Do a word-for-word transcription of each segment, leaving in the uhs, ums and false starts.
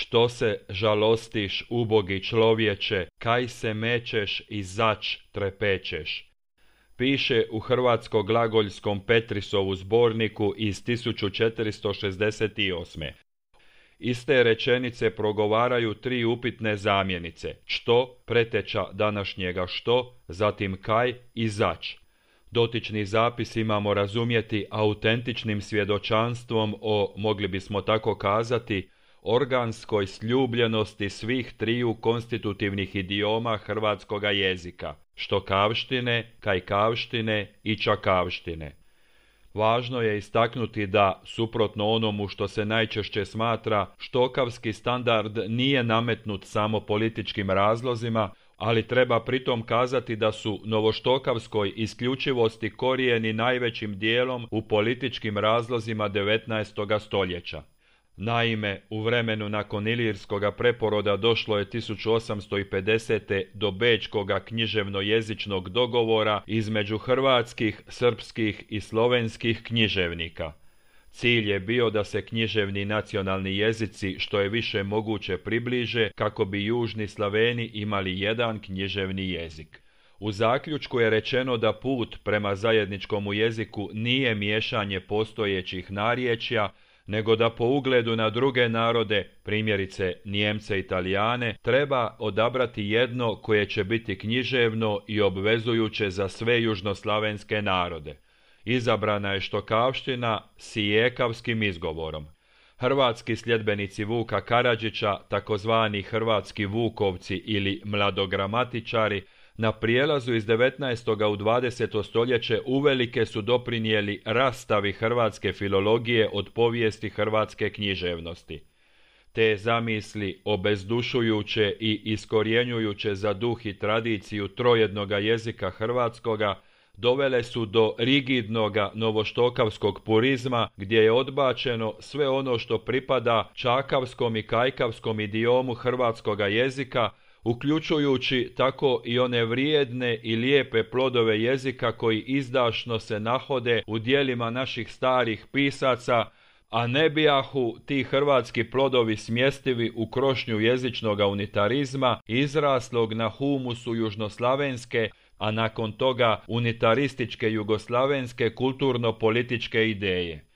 Što se žalostiš, ubogi človječe, kaj se mećeš i zač trepećeš. Piše u hrvatsko-glagoljskom Petrisovu zborniku iz tisuću četiristo šezdeset osme. Iste rečenice progovaraju tri upitne zamjenice, što, preteča današnjega što, zatim kaj i zač. Dotični zapis imamo razumjeti autentičnim svjedočanstvom o, mogli bismo tako kazati, organskoj sljubljenosti svih triju konstitutivnih idioma hrvatskoga jezika, štokavštine, kajkavštine i čakavštine. Važno je istaknuti da, suprotno onomu što se najčešće smatra, štokavski standard nije nametnut samo političkim razlozima, ali treba pritom kazati da su novoštokavskoj isključivosti korijeni najvećim dijelom u političkim razlozima devetnaestoga stoljeća. Naime, u vremenu nakon ilirskoga preporoda došlo je tisuću osamsto pedesete do bečkoga književno-jezičnog dogovora između hrvatskih, srpskih i slovenskih književnika. Cilj je bio da se književni nacionalni jezici što je više moguće približe kako bi južni Slaveni imali jedan književni jezik. U zaključku je rečeno da put prema zajedničkomu jeziku nije miješanje postojećih narječja, nego da po ugledu na druge narode, primjerice Nijemce i Talijane, treba odabrati jedno koje će biti književno i obvezujuće za sve južnoslavenske narode. Izabrana je štokavština s ijekavskim izgovorom. Hrvatski sljedbenici Vuka Karadžića, takozvani hrvatski vukovci ili mladogramatičari, na prijelazu iz devetnaestoga u dvadeseto stoljeće uvelike su doprinijeli rastavi hrvatske filologije od povijesti hrvatske književnosti. Te zamisli, obezdušujuće i iskorjenjujuće za duh i tradiciju trojednoga jezika hrvatskoga, dovele su do rigidnoga novoštokavskog purizma, gdje je odbačeno sve ono što pripada čakavskom i kajkavskom idiomu hrvatskoga jezika, uključujući tako i one vrijedne i lijepe plodove jezika koji izdašno se nahode u djelima naših starih pisaca, a ne bijahu ti hrvatski plodovi smjestivi u krošnju jezičnoga unitarizma, izraslog na humusu južnoslavenske, a nakon toga unitarističke jugoslavenske kulturno-političke ideje.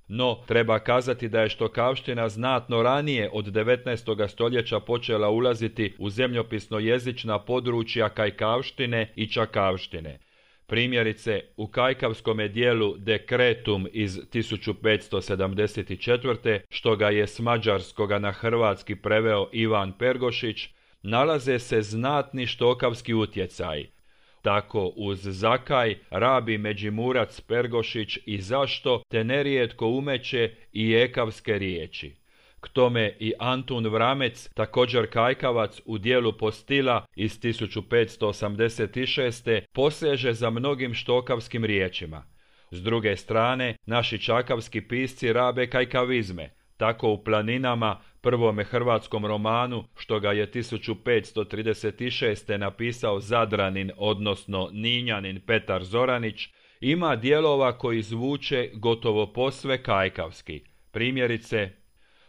No, treba kazati da je štokavština znatno ranije od devetnaestoga stoljeća počela ulaziti u zemljopisno-jezična područja kajkavštine i čakavštine. Primjerice, u kajkavskome dijelu Dekretum iz tisuću petsto sedamdeset četvrte, što ga je s mađarskoga na hrvatski preveo Ivan Pergošić, nalaze se znatni štokavski utjecaji. Tako uz zakaj rabi Međimurac Pergošić i zašto te nerijetko umeće i ekavske riječi. K tome i Antun Vramec, također kajkavac u dijelu Postila iz tisuću petsto osamdeset šeste poseže za mnogim štokavskim riječima. S druge strane, naši čakavski pisci rabe kajkavizme. Tako u Planinama, prvome hrvatskom romanu, što ga je tisuću petsto trideset šeste napisao Zadranin, odnosno Ninjanin Petar Zoranić, ima dijelova koji zvuče gotovo posve kajkavski. Primjerice,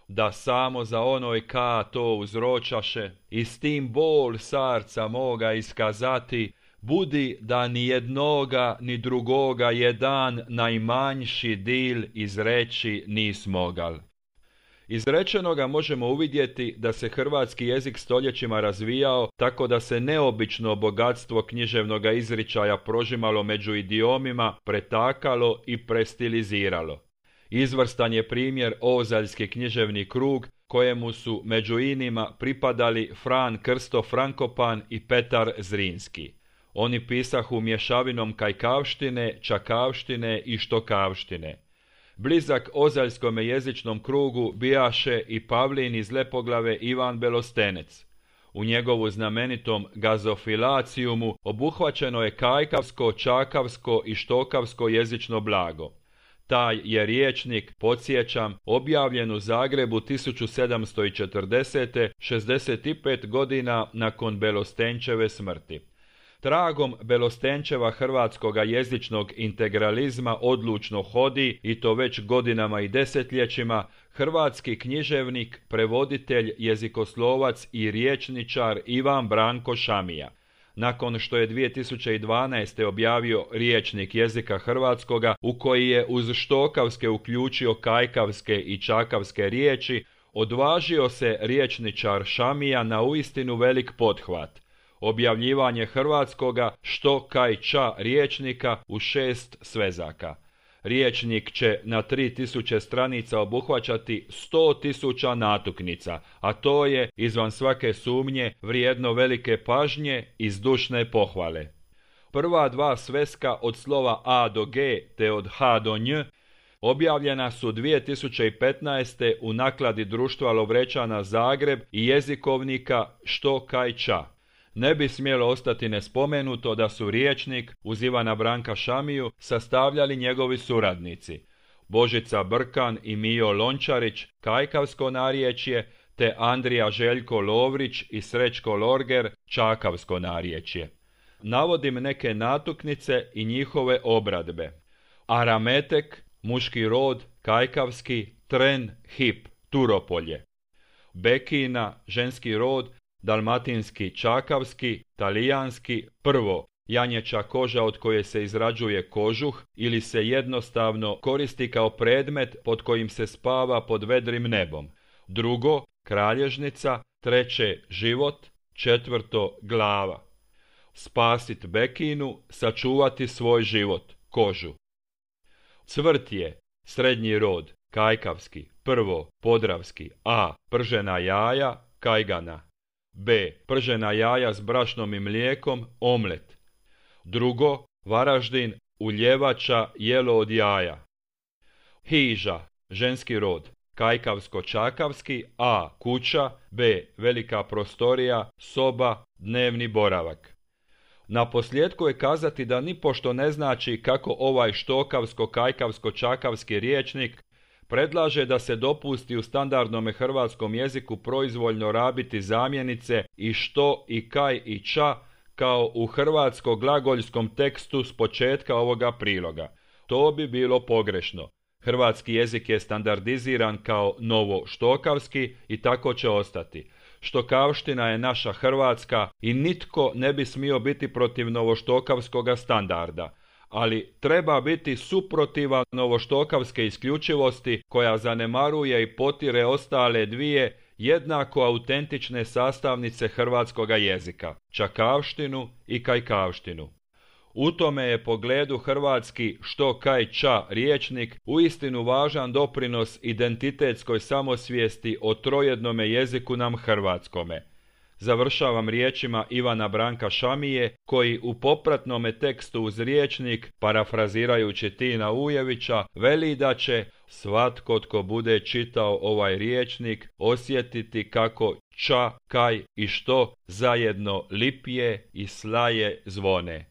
da samo za onoj ka to uzročaše, i s tim bol sarca moga iskazati, budi da ni jednoga ni drugoga jedan najmanjši dil izreći nis mogal. Iz rečenoga možemo uvidjeti da se hrvatski jezik stoljećima razvijao tako da se neobično bogatstvo književnoga izričaja prožimalo među idiomima, pretakalo i prestiliziralo. Izvrstan je primjer Ozaljski književni krug, kojemu su među inima pripadali Fran Krsto Frankopan i Petar Zrinski. Oni pisahu mješavinom kajkavštine, čakavštine i štokavštine. Blizak ozaljskome jezičnom krugu bijaše i Pavlin iz Lepoglave Ivan Belostenec. U njegovu znamenitom Gazofilacijumu obuhvaćeno je kajkavsko, čakavsko i štokavsko jezično blago. Taj je riječnik, podsjećam, objavljen u Zagrebu tisuću sedamsto četrdesete, šezdeset pet godina nakon Belostenčeve smrti. Tragom Belostenčeva hrvatskoga jezičnog integralizma odlučno hodi, i to već godinama i desetljećima, hrvatski književnik, prevoditelj, jezikoslovac i riječničar Ivan Branko Šamija. Nakon što je dvije tisuće dvanaeste. objavio Rječnik jezika hrvatskoga, u koji je uz štokavske uključio kajkavske i čakavske riječi, odvažio se riječničar Šamija na uistinu velik pothvat. Objavljivanje hrvatskoga što kaj ča rječnika u šest svezaka. Rječnik će na tri tisuće stranica obuhvaćati sto tisuća natuknica, a to je, izvan svake sumnje, vrijedno velike pažnje i zdušne pohvale. Prva dva sveska od slova A do G te od H do Nj objavljena su dvije tisuće petnaeste. u nakladi Društva Lovrečana Zagreb i jezikovnika Što kaj ča. Ne bi smjelo ostati nespomenuto da su rječnik uz Ivana Branka Šamiju sastavljali njegovi suradnici Božica Brkan i Mijo Lončarić, kajkavsko narječje, te Andrija Željko Lovrić i Srećko Lorger, čakavsko narječje. Navodim neke natuknice i njihove obradbe. Arametek, muški rod, kajkavski, tren, hip, Turopolje. Bekina, ženski rod, dalmatinski, čakavski, talijanski, prvo, janječa koža od koje se izrađuje kožuh ili se jednostavno koristi kao predmet pod kojim se spava pod vedrim nebom. Drugo, kralježnica, treće, život, četvrto, glava. Spasit bekinu, sačuvati svoj život, kožu. Cvrtje, srednji rod, kajkavski, prvo, podravski, a, pržena jaja, kajgana. B. Pržena jaja s brašnom i mlijekom, omlet. Drugo, Varaždin, uljevača, jelo od jaja. Hiža, ženski rod, kajkavsko-čakavski, a. kuća, b. velika prostorija, soba, dnevni boravak. Naposljetku je kazati da nipošto ne znači kako ovaj štokavsko-kajkavsko-čakavski rječnik predlaže da se dopusti u standardnome hrvatskom jeziku proizvoljno rabiti zamjenice i što i kaj i ča kao u hrvatsko-glagoljskom tekstu s početka ovoga priloga. To bi bilo pogrešno. Hrvatski jezik je standardiziran kao novo štokavski i tako će ostati. Štokavština je naša hrvatska i nitko ne bi smio biti protiv novoštokavskoga standarda. Ali treba biti suprotivan novoštokavske isključivosti koja zanemaruje i potire ostale dvije jednako autentične sastavnice hrvatskoga jezika, čakavštinu i kajkavštinu. U tome je pogledu hrvatski što kaj ča rječnik uistinu važan doprinos identitetskoj samosvijesti o trojednome jeziku nam hrvatskome. Završavam riječima Ivana Branka Šamije, koji u popratnome tekstu uz rječnik, parafrazirajući Tina Ujevića, veli da će svatko tko bude čitao ovaj rječnik osjetiti kako ča, kaj i što zajedno lipje i slaje zvone.